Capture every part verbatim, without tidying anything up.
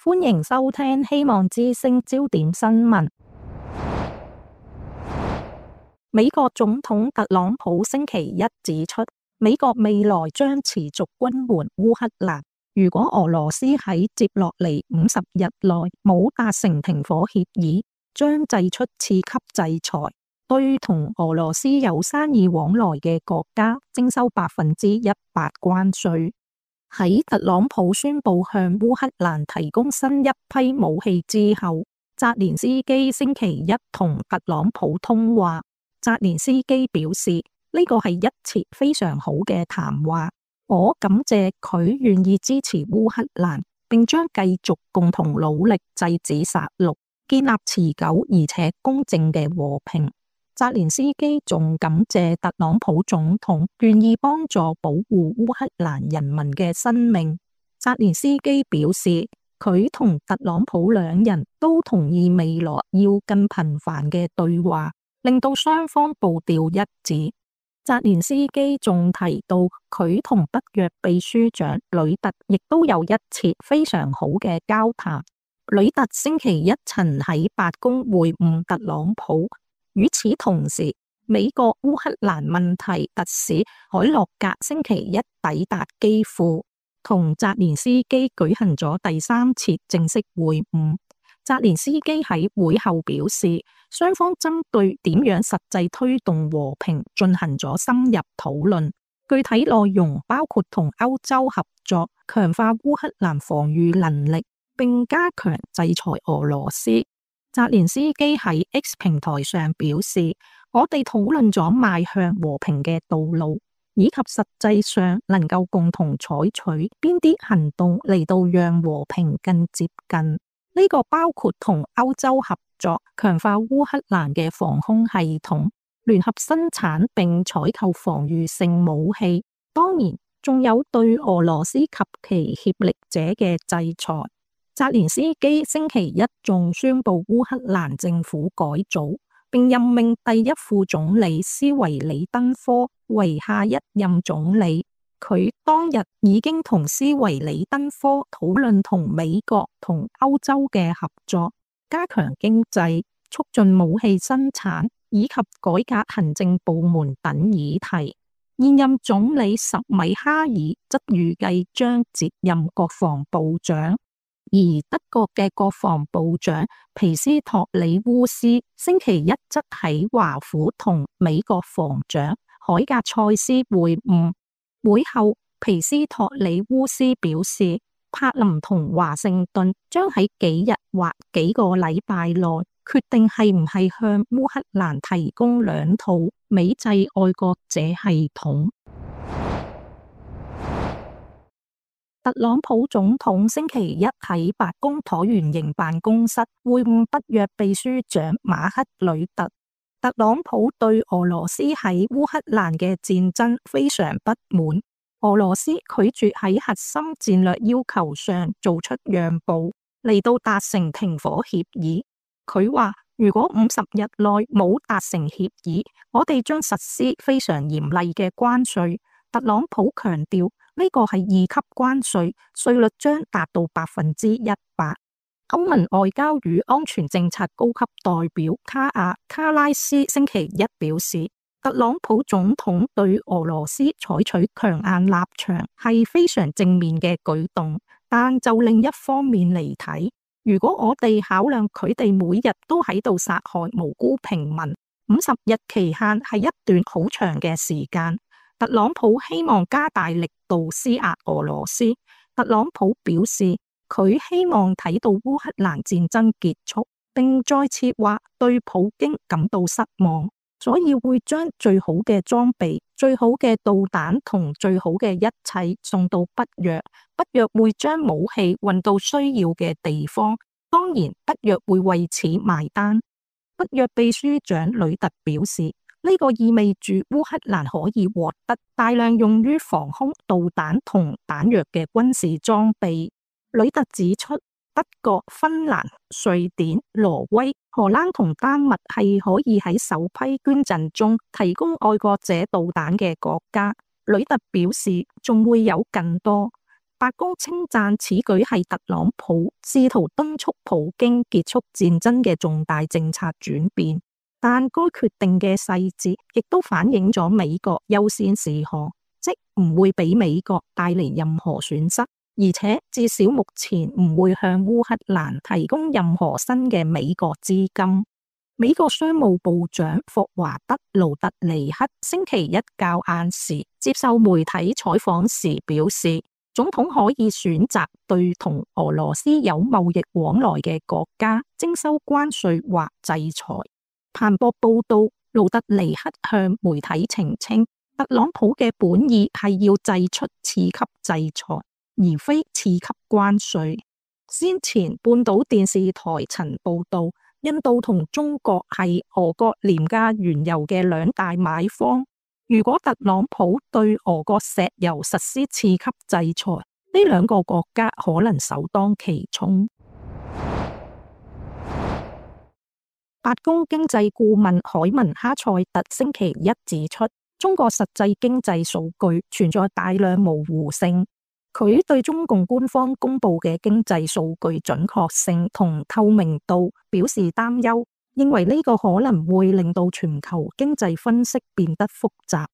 歡迎收聽希望之聲焦點新聞。美國總統特朗普星期一指出，美國未來將持續軍援烏克蘭。如果俄羅斯喺接落嚟五十日內冇達成停火協議，將祭出次級制裁，對同俄羅斯有生意往來嘅國家徵收百分之一百關稅。喺特朗普宣布向烏克蘭提供新一批武器之後，澤連斯基星期一同特朗普通話。澤連斯基表示，呢個係一次非常好嘅談話，我感謝佢願意支持烏克蘭，並將繼續共同努力制止殺戮，建立持久而且公正嘅和平。澤連斯基仲感謝特朗普總統願意幫助保護烏克蘭人民嘅生命。澤連斯基表示，佢同特朗普兩人都同意未來要更頻繁嘅對話，令到雙方步調一致。澤連斯基仲提到，佢同北約秘書長呂特亦都有一次非常好嘅交談。呂特星期一曾喺白宮會晤特朗普。與此同時，美國烏克蘭問題特使海洛格星期一抵達基輔，同澤連斯基舉行咗第三次正式會晤。澤連斯基喺會後表示，雙方針對點樣實際推動和平進行咗深入討論，具體內容包括同歐洲合作，強化烏克蘭防禦能力，並加強制裁俄羅斯。澤連斯基喺 X 平台上表示，我哋討論咗邁向和平嘅道路，以及實際上能夠共同採取邊啲行動嚟到讓和平更接近。呢個包括同歐洲合作，強化烏克蘭嘅防空系統，聯合生產並採購防禦性武器，當然仲有對俄羅斯及其協力者嘅制裁。澤連斯基星期一仲宣布烏克蘭政府改組，並任命第一副總理斯維里登科為下一任總理。佢當日已經同斯維里登科討論同美國同歐洲嘅合作，加強經濟、促進武器生產以及改革行政部門等議題。現任總理什米哈爾則預計將接任國防部長，而德國嘅國防部長皮斯托里烏斯星期一則喺華府同美國防長海格塞斯會晤。會後，皮斯托里烏斯表示，柏林同華盛頓將喺幾日或幾個禮拜內決定係唔係向烏克蘭提供兩套美製愛國者系統。特朗普總統星期一喺白宮橢圓形辦公室會晤北約秘書長馬克呂特。特朗普對俄羅斯喺烏克蘭嘅戰爭非常不滿，俄羅斯拒絕喺核心戰略要求上做出讓步，嚟到達成停火協議。佢話，如果五十日內冇達成協議，我哋將實施非常嚴厲嘅關稅。特朗普強調，呢個係二級關稅，稅率將達到百分之一百。歐盟外交與安全政策高級代表卡亞卡拉斯星期一表示，特朗普總統對俄羅斯採取強硬立場係非常正面嘅舉動，但就另一方面嚟睇，如果我哋考量佢哋每日都喺度殺害無辜平民，五十日期限係一段好長嘅時間。特朗普希望加大力度施壓俄羅斯。特朗普表示，佢希望睇到烏克蘭戰爭結束，並再次話對普京感到失望，所以會將最好嘅裝備、最好嘅導彈同最好嘅一切送到北約。北約會將武器運到需要嘅地方，當然北約會為此埋單。北約秘書長呂特表示，呢個意味住烏克蘭可以獲得大量用於防空導彈同彈藥嘅軍事裝備。呂特指出，德國、芬蘭、瑞典、挪威、荷蘭同丹麥係可以喺首批捐贈中提供愛國者導彈嘅國家。呂特表示，仲會有更多。白宮稱讚此舉係特朗普試圖敦促普京結束戰爭嘅重大政策轉變，但該決定嘅細節亦都反映咗美國優先事項，即唔會俾美國帶嚟任何損失，而且至少目前唔會向烏克蘭提供任何新嘅美國資金。美國商務部長霍華德·盧特尼克星期一較晏時接受媒體採訪時表示，總統可以選擇對同俄羅斯有貿易往來嘅國家徵收關稅或制裁。彭博報道，盧特尼克向媒體澄清，特朗普嘅本意係要祭出次級制裁，而非次級關稅。先前半島電視台曾報道，印度同中國係俄國廉價原油嘅兩大買方。如果特朗普對俄國石油實施次級制裁，呢兩個國家可能首當其衝。白宮經濟顧問凱文哈塞特星期一指出，中國實際經濟數據存在大量模糊性。佢對中共官方公布嘅經濟數據準確性同透明度表示擔憂，認為呢個可能會令到全球經濟分析變得複雜。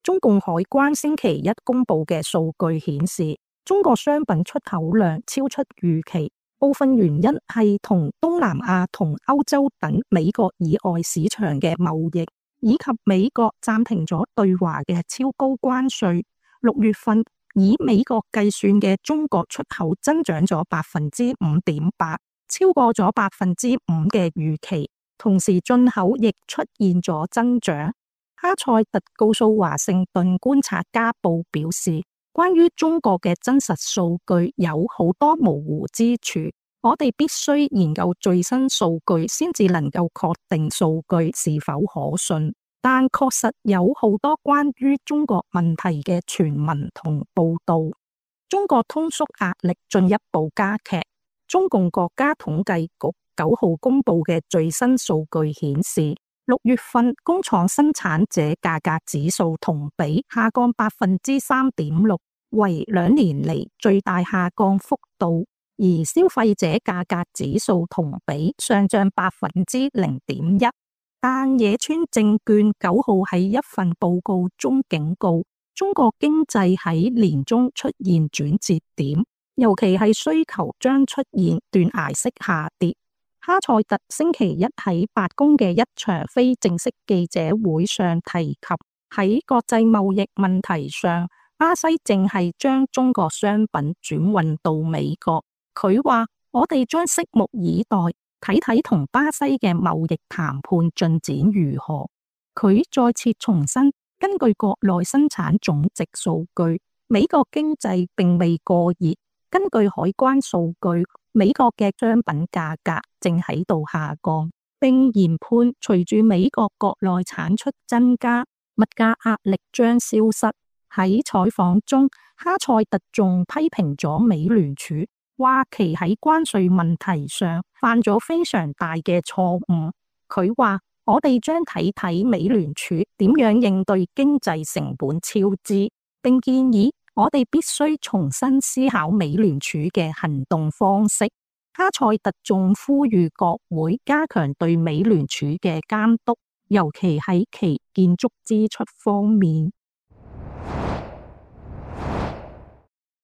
中共海關星期一公布嘅數據顯示，中國商品出口量超出預期，部分原因係同東南亞同歐洲等美國以外市場嘅貿易，以及美國暫停咗對華嘅超高關稅。六月份以美國計算嘅中國出口增長咗百分之五點八，超過咗百分之五嘅預期，同時進口亦出現咗增長。哈塞特告訴華盛頓觀察家報表示，關於中國嘅真實數據有好多模糊之處，我哋必須研究最新數據先至能夠確定數據是否可信。但確實有好多關於中國問題嘅傳聞同報道。中國通縮壓力進一步加劇。中共國家統計局九號公布嘅最新數據顯示，六月份工廠生產者價格指數同比下降百分之三點六，為兩年嚟最大下降幅度；而消費者價格指數同比上漲百分之零點一。但野村證券九號喺一份報告中警告，中國經濟喺年中出現轉折點，尤其係需求將出現斷崖式下跌。哈塞特星期一喺白宮嘅一場非正式記者會上提及，喺國際貿易問題上，巴西正係將中國商品轉運到美國。佢話：我哋將拭目以待。睇睇同巴西嘅貿易談判進展如何。佢再次重申，根據國內生產總值數據，美國經濟並未過熱。根據海關數據，美國嘅商品價格正喺度下降，並研判隨住美國國內產出增加，物價壓力將消失。喺採訪中，哈塞特仲批評咗美聯儲，話其喺關稅問題上犯咗非常大嘅錯誤。佢話：我哋將睇睇美聯儲點樣應對經濟成本超支，並建議我哋必須重新思考美聯儲嘅行動方式。哈塞特仲呼籲國會加強對美聯儲嘅監督，尤其喺其建築支出方面。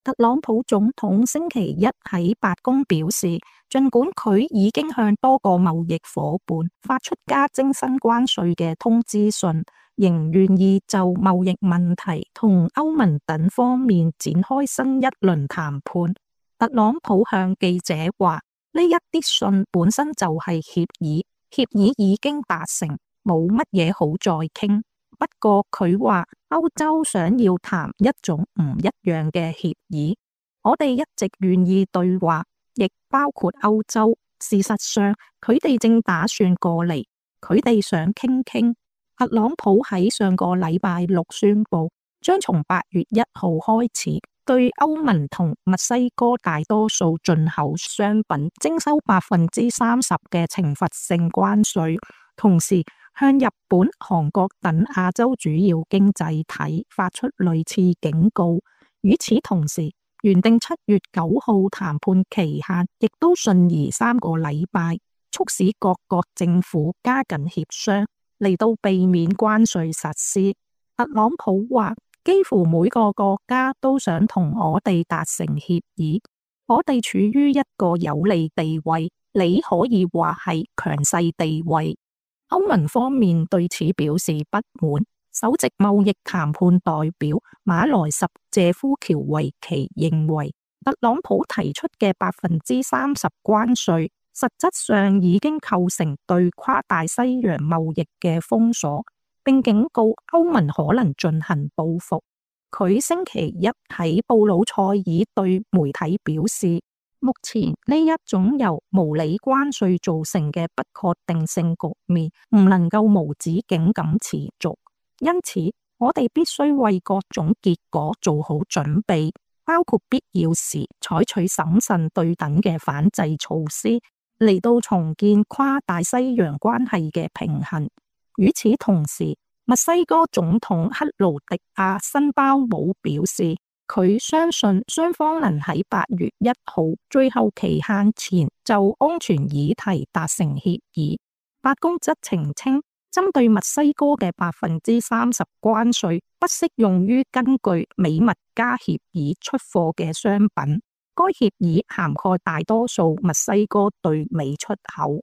特朗普總統星期一喺白宮表示，儘管佢已經向多個貿易夥伴發出加徵新關稅嘅通知信，仍願意就貿易問題同歐盟等方面展開新一輪談判。特朗普向記者話：呢一啲信本身就係協議，協議已經達成，冇乜嘢好再傾。不過佢話歐洲想要談一種唔一樣嘅協議，我哋一直願意對話，亦包括歐洲。事實上，佢哋正打算過嚟，佢哋想傾傾。特朗普喺上個禮拜六宣布，將從八月一號開始對歐盟同墨西哥大多數進口商品徵收百分之三十嘅懲罰性關稅，同時向日本、韓國等亞洲主要經濟體發出類似警告。與此同時，原定七月九號談判期限亦都順延三個禮拜，促使各國政府加緊協商，嚟到避免關稅實施。特朗普話，幾乎每個國家都想同我哋達成協議，我哋處於一個有利地位，你可以話係強勢地位。歐盟方面對此表示不滿。首席貿易談判代表馬萊什謝夫喬維奇認為，特朗普提出嘅百分之三十關稅，實質上已經構成對跨大西洋貿易嘅封鎖，並警告歐盟可能進行報復。佢星期一喺布魯塞爾對媒體表示，目前呢一種由無理關稅造成嘅不確定性局面唔能夠無止境咁持續，因此我哋必須為各種結果做好準備，包括必要時採取審慎對等嘅反制措施，嚟到重建跨大西洋關係嘅平衡。與此同時，墨西哥總統克勞迪亞辛包姆表示，佢相信雙方能喺八月一號最後期限前就安全議題達成協議。白宮則澄清，針對墨西哥嘅百分之三十關稅不適用於根據美墨加協議出貨嘅商品。該協議涵蓋大多數墨西哥對美出口。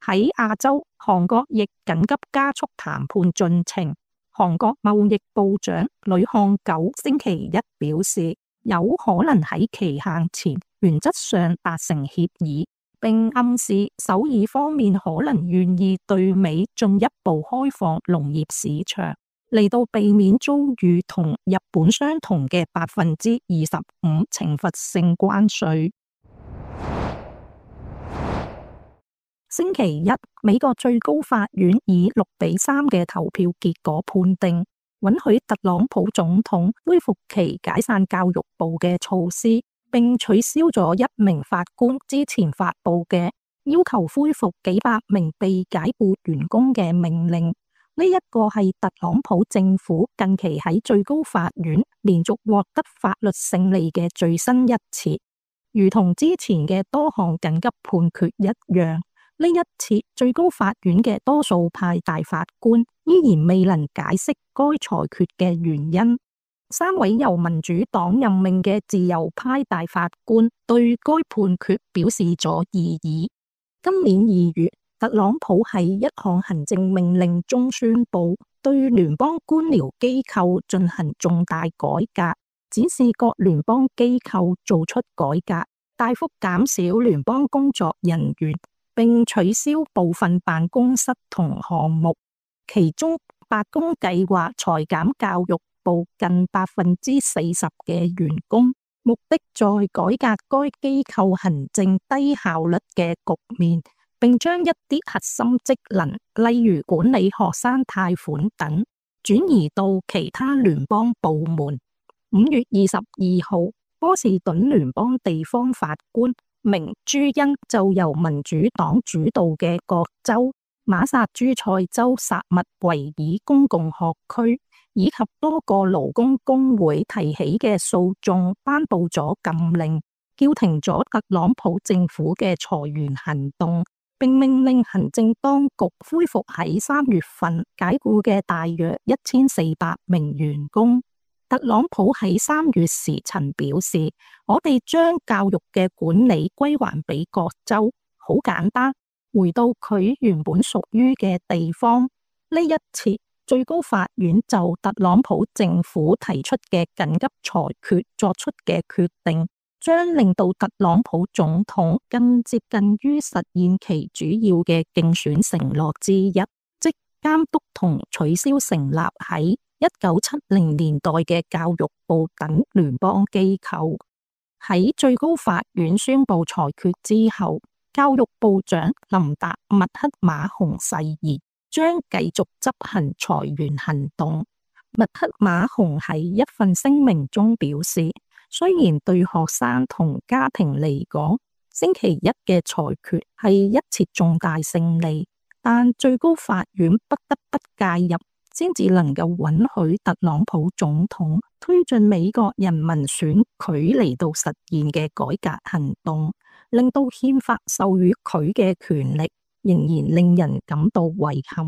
喺亞洲，韓國亦緊急加速談判進程。韓國貿易部長呂漢九星期一表示，有可能喺期限前原則上達成協議，並暗示首爾方面可能願意對美進一步開放農業市場，嚟到避免遭遇同日本相同嘅百分之二十五懲罰性關稅。星期一，美國最高法院以六比三嘅投票結果判定，允許特朗普總統恢復其解散教育部嘅措施，並取消咗一名法官之前發布嘅要求恢復幾百名被解雇員工嘅命令。呢一個係特朗普政府近期喺最高法院連續獲得法律勝利嘅最新一次，如同之前嘅多項緊急判決一樣。呢一次最高法院嘅多數派大法官依然未能解釋該裁決嘅原因。三位由民主黨任命嘅自由派大法官對該判決表示咗異議。今年二月，特朗普喺一項行政命令中宣布對聯邦官僚機構進行重大改革，指示各聯邦機構做出改革，大幅減少聯邦工作人員，並取消部分辦公室同項目，其中白宮計劃裁減教育部近百分之四十嘅員工，目的在改革該機構行政低效率嘅局面，並將一啲核心職能，例如管理學生貸款等，轉移到其他聯邦部門。五月二十二號，波士頓聯邦地方法官明朱恩就由民主黨主導嘅各州、馬薩諸塞州薩密維爾公共學區以及多個勞工工會提起嘅訴訟，頒布咗禁令，叫停咗特朗普政府嘅裁員行動，並命令行政當局恢復喺三月份解雇嘅大約一千四百名員工。特朗普喺三月時曾表示，我哋將教育嘅管理歸還俾各州，好簡單，回到佢原本屬於嘅地方。呢一次，最高法院就特朗普政府提出嘅緊急裁決作出嘅決定，將令到特朗普總統更接近於實現其主要嘅競選承諾之一，即監督同取消成立喺一九七零年代嘅教育部等聯邦機構。喺最高法院宣布裁決之後，教育部長林達麥克馬洪誓言將繼續執行裁員行動。麥克馬洪喺一份聲明中表示，雖然對學生同家庭嚟講，星期一嘅裁決係一次重大勝利，但最高法院不得不介入，先至能夠允許特朗普總統推進美國人民選舉嚟到實現嘅改革行動，令到憲法授予佢嘅權力仍然令人感到遺憾。